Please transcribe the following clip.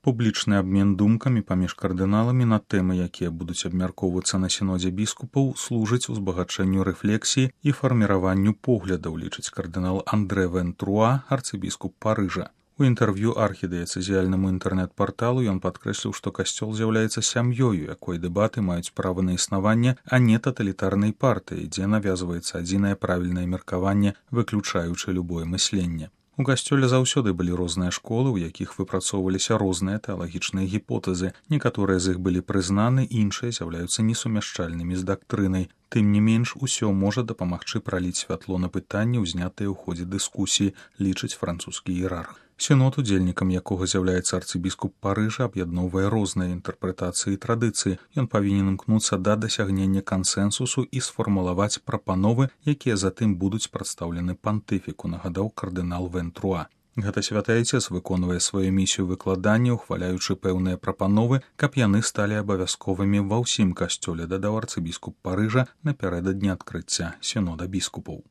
Публічны абмен думкамі паміж кардыналамі на тэмы, якія будуць абмяркоўвацца на сінодзе біскупаў, служыць узбагачэнню рэфлексіі і фарміраванню поглядаў, лічыць кардынал Андре Вентруа, арцыбіскуп Парыжа. У інтэрв'ю архідыяцэзіяльнаму інтэрнэт-парталу ён падкрэсліў, што касцёл з'яўляецца сям'ёю, якой дэбаты маюць права на існаванне, а не таталітарнай партыі, дзе навязваецца адзінае правільнае меркаванне, выключаючы любое мысленне. У касцёле заўсёды былі розныя школы, у якіх выпрацоўваліся розныя тэалагічныя гіпотэзы. Некаторыя з іх былі прызнаны, іншыя з'яўляюцца несумяшчальнымі з дактрынай. Тым не менш, усё можа дапамагчы праліць святло на пытанні, узнятыя ў ходзе дыскусіі, лічыць французскі іерарх. Сінод, удзельнікам якога з'яўляецца арцыбіскуп Парыжа, аб'ядноўвае розныя інтэрпрэтацыі і традыцыі. Ён павінен імкнуцца да дасягнення кансэнсусу і сфармулаваць прапановы, якія затым будуць прадстаўлены пантыфіку, нагадаў кардынал Вентруа. Гэта святы айцец выконвае сваю місію выкладання, ухваляючы пэўныя прапановы, каб яны сталі абавязковымі ва ўсім касцёле, дадаў арцыбіскуп Парыжа напярэдадні адкрыцця сінода біскупаў.